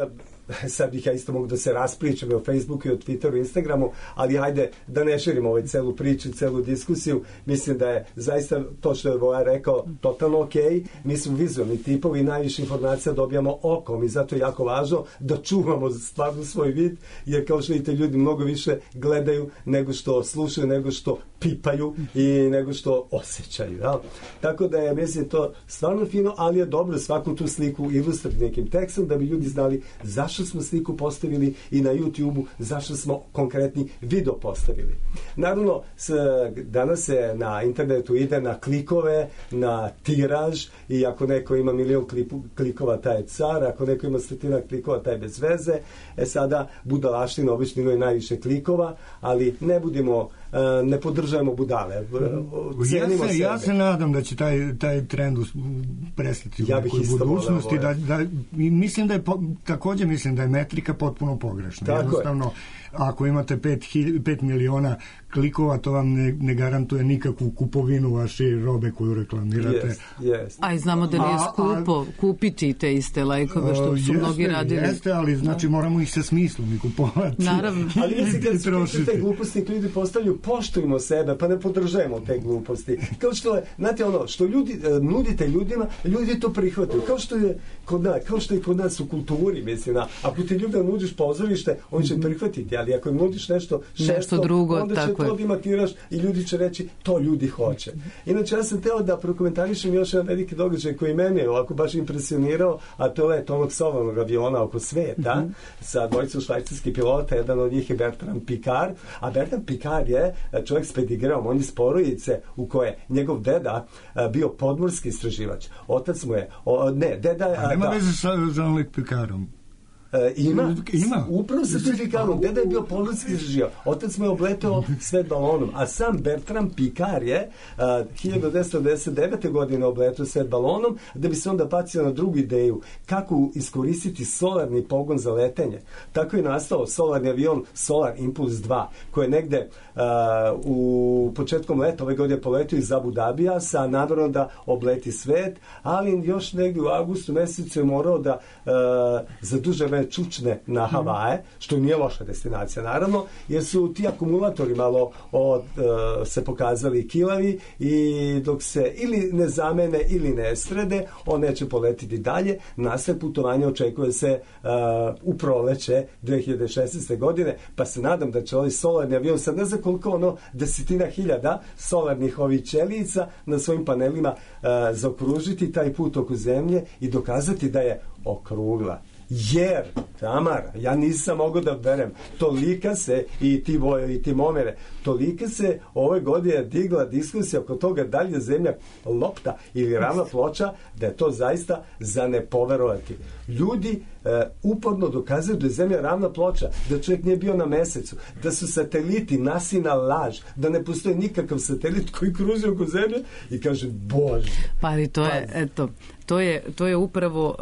Speaker 5: sad bih ja isto mogu da se raspričam o Facebooku i o Twitteru i Instagramu, ali hajde da ne širimo ovaj celu priču, celu diskusiju. Mislim da je zaista to što je Voja rekao totalno okej. Mi smo vizualni tipovi i najviše informacija dobijamo okom i zato je jako važno da čuvamo stvarno svoj vid, jer kao što vidite ljudi mnogo više gledaju nego što slušaju, nego što pipaju i nego što osjećaju. Ja? Tako da je, mislim, to stvarno fino, ali je dobro svaku tu sliku ilustrirati nekim tekstom da bi ljudi znali zašto smo sliku postavili i na YouTube-u, zašto smo konkretni video postavili. Naravno, danas se na internetu ide na klikove, na tiraž i ako neko ima 1.000.000 klikova, taj je car, ako neko ima 100 klikova, taj je bez veze. Sada budalaština obično imaju najviše klikova, ali ne podržajemo budale.
Speaker 7: Ja se nadam da će taj trend prestati u nekoj budućnosti. Mislim da je također mislim da je metrika potpuno pogrešna. Jednostavno, ako imate 5 miliona klikova, to vam ne garantuje nikakvu kupovinu vaše robe koju reklamirate.
Speaker 1: A i znamo da nije skupo kupiti te iste lajkove što su mnogi radili.
Speaker 7: Jeste, ali znači moramo ih sa smislom i kupovati.
Speaker 1: Naravno.
Speaker 5: Ali mislim kad su te gluposti ljudi postavljaju, poštujmo sebe, pa ne podržajemo te gluposti. Kao što je, znate ono, što ljudi nudite ljudima, ljudi to prihvataju. Kao što je kod nas u kulturi, mislim, ako ti ljudima nudiš pozorište, oni će prihvatiti, ali ako im nudiš nešto
Speaker 1: drugo,
Speaker 5: onda će to dimatiraš i ljudi će reći to ljudi hoće. Inače, ja sam teo da prokomentarišem još jedan veliki događaj koji mene je ovako baš impresionirao, a to je onog solarnog aviona oko sveta sa dvojicom švajcarskih pilota, jedan od njih je Bertrand Piccard, a Bertrand Piccard je čovjek s pedigreom, on je iz porodice u koje njegov deda bio podmorski istraživač. Otac mu je, deda je...
Speaker 7: A nema veze sa Jean-Luc Piccardom.
Speaker 5: Ima. Upravo sa Picardom. Deda je bio podmorski istraživač. Otac mu je obletao svet balonom. A sam Bertrand Piccard je 1999. godine obletao svet balonom da bi se onda bacio na drugu ideju kako iskoristiti solarni pogon za letenje. Tako je nastao solarni avion Solar Impulse 2 koji je negde u početkom leta ove godine poletio iz Abu Dabija sa namerom da obleti svet, ali još negde u avgustu mesecu je morao da za duže vreme čučne na Havaje, što nije loša destinacija naravno, jer su ti akumulatori malo se pokazali kilavi i dok se ili ne zamene ili ne srede, on neće poletiti dalje. Nastaje putovanje očekuje se u proleće 2016. godine, pa se nadam da će ovaj solarni avion, sad ne znam koliko desetina hiljada solarnih ovih ćelica na svojim panelima zaokružiti taj put oko zemlje i dokazati da je okrugla. Jer, Tamara, ja nisam mogao da verem, tolika se, i ti Vojo i ti Momere, tolika se ove godine digla diskusija oko toga da li je zemlja lopta ili ravna ploča, da je to zaista za ne poverovati. Ljudi uporno dokazuju da je zemlja ravna ploča, da čovjek nije bio na mesecu, da su sateliti nasina laž, da ne postoji nikakav satelit koji kruži oko zemlje i kaže, Bože.
Speaker 1: Pa ali to je, eto, to je upravo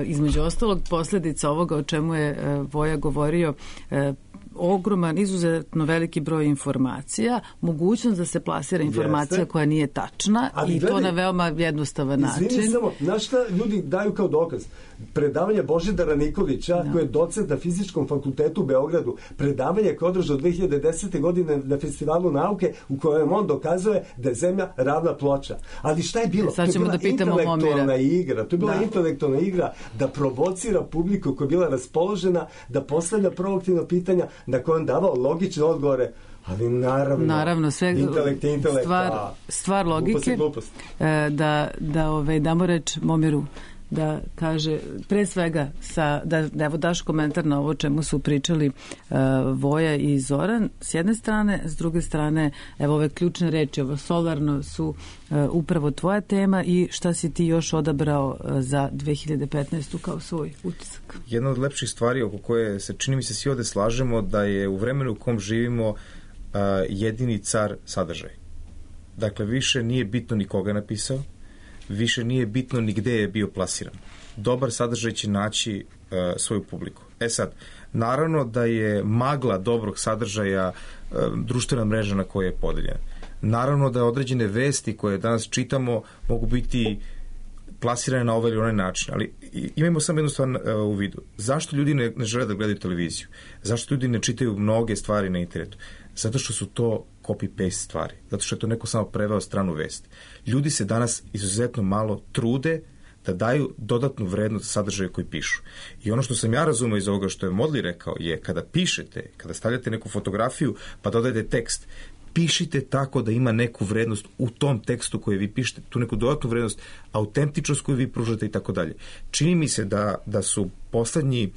Speaker 1: između ostalog posljedica ovoga o čemu je Voja govorio, ogroman, izuzetno veliki broj informacija, mogućnost da se plasira informacija koja nije tačna i to na veoma jednostavan način.
Speaker 5: Izvini samo, znaš šta ljudi daju kao dokaz? Predavanje Božidara Nikolića, koji je docent na Fizičkom fakultetu u Beogradu, predavanje koje je održao 2010. godine na Festivalu nauke u kojem on dokazuje da je zemlja ravna ploča. Ali šta je bilo?
Speaker 1: Sad ćemo da pitamo Momira.
Speaker 5: To je bila intelektualna igra da provocira publiku koja je bila raspoložena, da postavlja provokativna pitanja na koje on davao logične odgovore, ali naravno
Speaker 1: sve
Speaker 5: intelekt,
Speaker 1: stvar logike.
Speaker 5: Glupost.
Speaker 1: Da damo reč Momiru da kaže, pre svega, da evo daš komentar na ovo čemu su pričali Voja i Zoran, s jedne strane, s druge strane, evo ove ključne reči, ovo solarno su upravo tvoja tema i šta si ti još odabrao za 2015. kao svoj utisak?
Speaker 6: Jedna od lepših stvari oko koje se čini mi se svi ovde slažemo da je u vremenu u kom živimo jedini car sadržaj. Dakle, više nije bitno ni koga napisao, više nije bitno ni gde je bio plasiran. Dobar sadržaj će naći svoju publiku. Sad, naravno da je magla dobrog sadržaja društvena mreža na kojoj je podeljena. Naravno da određene vesti koje danas čitamo mogu biti plasirane na ovaj ili onaj način, ali imajmo samo jednu stvar u vidu. Zašto ljudi ne žele da gledaju televiziju? Zašto ljudi ne čitaju mnoge stvari na internetu? Zato što su to copy-paste stvari. Zato što je to neko samo preveo stranu vest. Ljudi se danas izuzetno malo trude da daju dodatnu vrednost sadržaju koji pišu. I ono što sam ja razumeo iz ovoga što je Modli rekao je kada pišete, kada stavljate neku fotografiju pa dodajete tekst, pišite tako da ima neku vrednost u tom tekstu koji vi pišete, tu neku dodatnu vrednost, autentičnost koju vi pružate i tako dalje. Čini mi se da su poslednji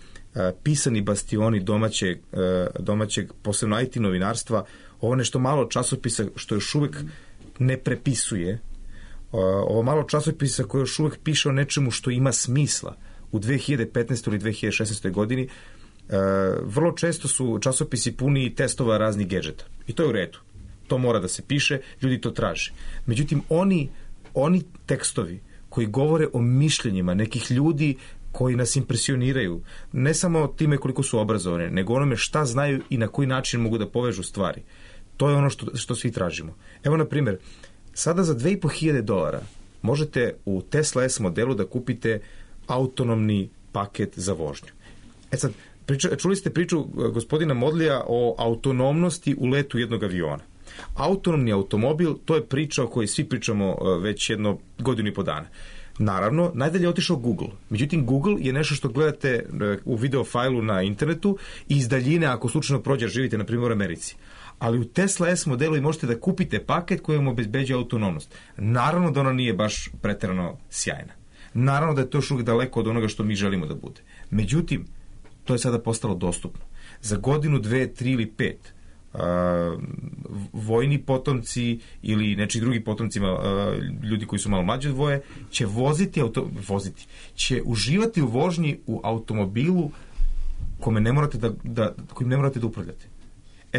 Speaker 6: pisani bastioni domaćeg posebno IT novinarstva, ovo nešto malo časopisa što još uvek ne prepisuje, ovo malo časopisa koje još uvek piše o nečemu što ima smisla u 2015. ili 2016. godini, vrlo često su časopisi puni testova raznih gadžeta. I to je u redu. To mora da se piše, ljudi to traže. Međutim, oni tekstovi koji govore o mišljenjima nekih ljudi koji nas impresioniraju, ne samo time koliko su obrazovani, nego onome šta znaju i na koji način mogu da povežu stvari. To je ono što svi tražimo. Evo, na primjer, sada za $2.500 možete u Tesla S modelu da kupite autonomni paket za vožnju. Sad, čuli ste priču gospodina Modlija o autonomnosti u letu jednog aviona. Autonomni automobil, to je priča o kojoj svi pričamo već jedno godinu i po dana. Naravno, najdalje je otišao Google. Međutim, Google je nešto što gledate u video fajlu na internetu i iz daljine, ako slučajno prođe, živite na primjer u Americi. Ali u Tesla S modelu i možete da kupite paket koji vam obezbeđuje autonomnost. Naravno da ona nije baš preterano sjajna. Naravno da je to još uvijek daleko od onoga što mi želimo da bude. Međutim, to je sada postalo dostupno. Za godinu, 2, 3 ili 5 vojni potomci ili nečiji drugi potomcima ljudi koji su malo mlađi od Voje će će uživati u vožnji u automobilu kojim ne morate da upravljate.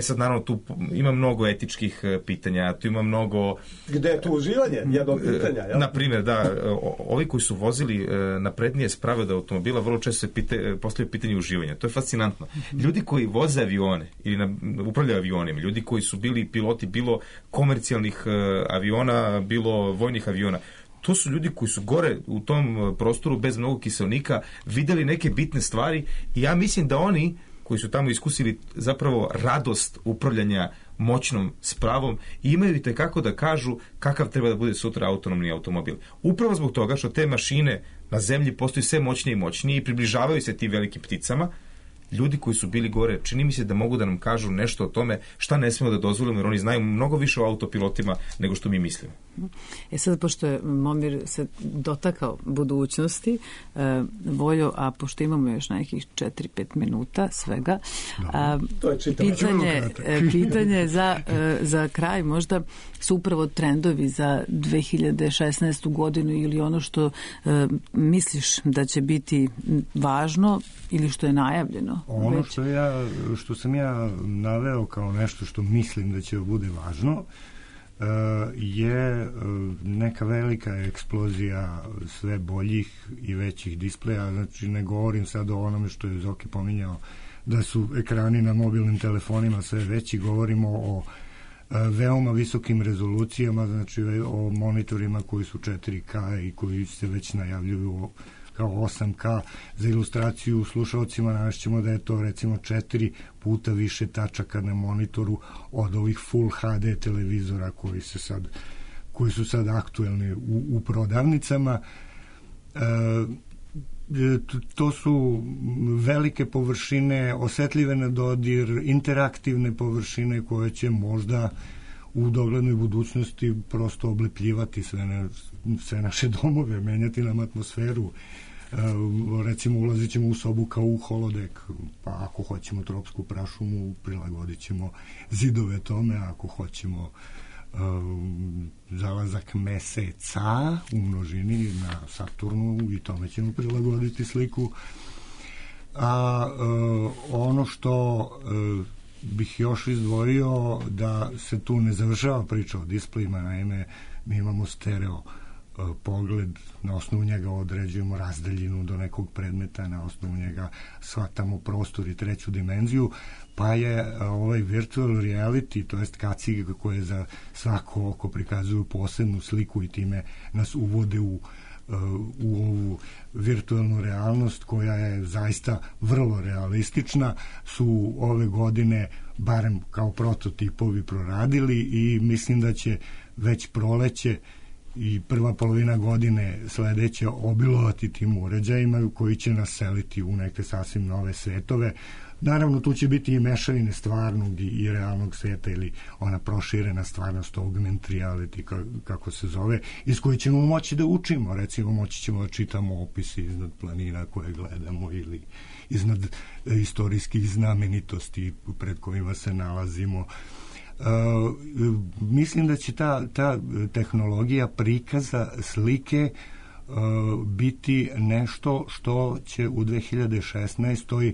Speaker 6: Sad, naravno, tu ima mnogo etičkih pitanja, tu ima mnogo...
Speaker 5: Gde je tu uživanje? Jedno pitanja, ja?
Speaker 6: Na primjer, da, ovi koji su vozili naprednije sprave od automobila vrlo često se postavljaju pitanje uživanja. To je fascinantno. Ljudi koji voze avione ili upravljaju avionima, ljudi koji su bili piloti bilo komercijalnih aviona, bilo vojnih aviona, to su ljudi koji su gore u tom prostoru bez mnogo kiselnika videli neke bitne stvari i ja mislim da oni koji su tamo iskusili zapravo radost upravljanja moćnom spravom i imaju i tekako da kažu kakav treba da bude sutra autonomni automobil. Upravo zbog toga što te mašine na zemlji postaju sve moćnije i moćnije i približavaju se tim velikim pticama, ljudi koji su bili gore, čini mi se da mogu da nam kažu nešto o tome šta ne smemo da dozvolimo, jer oni znaju mnogo više o autopilotima nego što mi mislimo.
Speaker 1: Sad, pošto je Momir se dotakao budućnosti, Voljo, a pošto imamo još nekih 4-5 minuta svega, pitanje za kraj možda su upravo trendovi za 2016. godinu ili ono što misliš da će biti važno ili što je najavljeno?
Speaker 7: Ono što sam ja naveo kao nešto što mislim da će bude važno je neka velika eksplozija sve boljih i većih displeja. Znači, ne govorim sad o onome što je Zoki pominjao da su ekrani na mobilnim telefonima sve veći, govorimo o veoma visokim rezolucijama, znači o monitorima koji su 4K i koji se već najavljuju kao 8K. Za ilustraciju slušalcima navešćemo da je to recimo 4 puta više tačaka na monitoru od ovih Full HD televizora koji su sad aktuelni u prodavnicama. To su velike površine, osetljive na dodir, interaktivne površine koje će možda u doglednoj budućnosti prosto oblepljivati sve naše domove, menjati nam atmosferu. Recimo ulazit ćemo u sobu kao u holodek, pa ako hoćemo tropsku prašumu prilagodit ćemo zidove tome, ako hoćemo zalazak meseca u množini na Saturnu i tome ćemo prilagoditi sliku. A ono što bih još izdvojio, da se tu ne završava priča o displejima, naime mi imamo stereo pogled, na osnovu njega određujemo razdaljinu do nekog predmeta, na osnovu njega shvatamo prostor i treću dimenziju, pa je ovaj virtual reality, to jest kacige koje za svako oko prikazuju posebnu sliku i time nas uvode u ovu virtualnu realnost koja je zaista vrlo realistična, su ove godine barem kao prototipovi proradili i mislim da će već proleće i prva polovina godine sledeće obilovati tim uređajima koji će nas seliti u neke sasvim nove svetove. Naravno, tu će biti i mešavine stvarnog i realnog sveta ili ona proširena stvarnost, augmented reality, kako se zove, iz koje ćemo moći da učimo. Recimo, moći ćemo da čitamo opise iznad planina koje gledamo ili iznad istorijskih znamenitosti pred kojima se nalazimo. Mislim da će ta tehnologija prikaza slike biti nešto što će u 2016.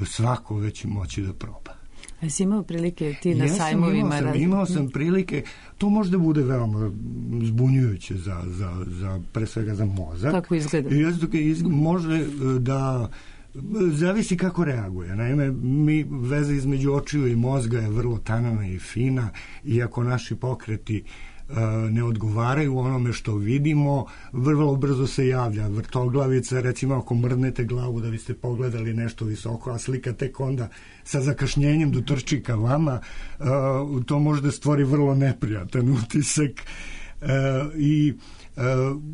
Speaker 7: svako već moći da proba.
Speaker 1: A si imao prilike ti na sajmovima?
Speaker 7: Imao sam prilike. To možda bude veoma zbunjujuće za pre svega za mozak.
Speaker 1: Kako izgleda?
Speaker 7: Može da zavisi kako reaguje. Naime, veza između očiju i mozga je vrlo tanana i fina, i ako naši pokreti ne odgovaraju onome što vidimo, vrlo brzo se javlja vrtoglavica. Recimo, ako mrdnete glavu da biste pogledali nešto visoko, a slika tek onda sa zakašnjenjem dotrči ka vama, to može da stvori vrlo neprijatan utisak. I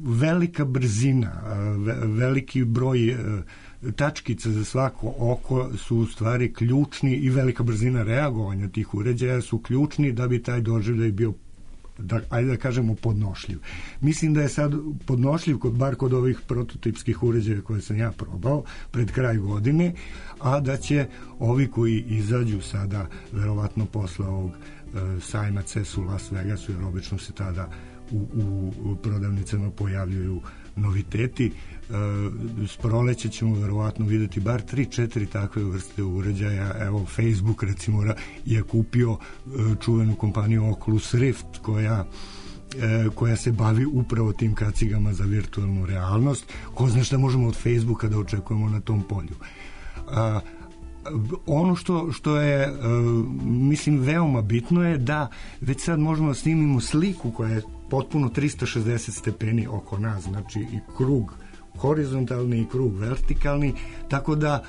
Speaker 7: velika brzina, veliki broj tačkica za svako oko su u stvari ključni, i velika brzina reagovanja tih uređaja su ključni da bi taj doživljaj bio, ajde da kažemo, podnošljiv. Mislim da je sad podnošljiv bar kod ovih prototipskih uređaja koje sam ja probao pred kraj godine, a da će ovi koji izađu sada verovatno posle ovog sajma CES u Las Vegasu, jer obično se tada u prodavnicama pojavljuju noviteti. S proleća ćemo verovatno videti bar 3-4 takve vrste uređaja. Evo, Facebook recimo je kupio čuvenu kompaniju Oculus Rift koja se bavi upravo tim kacigama za virtualnu realnost. Ko zna šta možemo od Facebooka da očekujemo na tom polju. Ono što je mislim veoma bitno je da već sad možemo da snimimo sliku koja je potpuno 360 stepeni oko nas, znači i krug horizontalni i krug vertikalni, tako da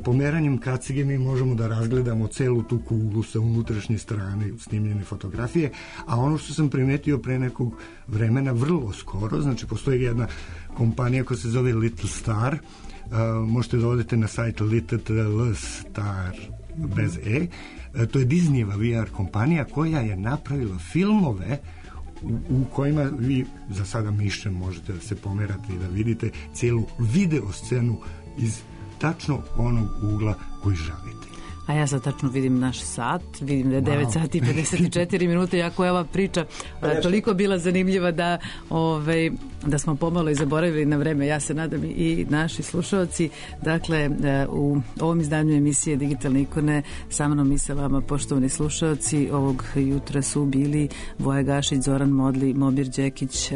Speaker 7: pomeranjem kacige mi možemo da razgledamo celu tu kuglu sa unutrašnje strane snimljene fotografije. A ono što sam primetio pre nekog vremena, vrlo skoro, znači postoji jedna kompanija koja se zove Little Star, možete da odete na sajt Little Star bez E, to je Disneyeva VR kompanija koja je napravila filmove u kojima vi za sada mišem možete da se pomerate i da vidite cijelu video scenu iz tačno onog ugla koji želite.
Speaker 1: A ja sad tačno vidim naš sat, vidim da je 9 sati i 54 minute, jako je ova priča toliko bila zanimljiva da smo pomalo i zaboravili na vreme. Ja se nadam i naši slušalci. Dakle, u ovom izdanju emisije Digitalne ikone sa mnom i sa vama, poštovani slušalci, ovog jutra su bili Voja Gašić, Zoran Modli, Mobir Đekić.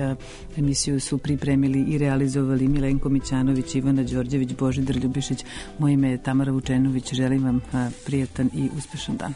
Speaker 1: Emisiju su pripremili i realizovali Milenko Mićanović, Ivana Đorđević, Božidar Ljubišić. Moje ime je Tamara Vučenović. Želim vam prijatan i uspešan dan.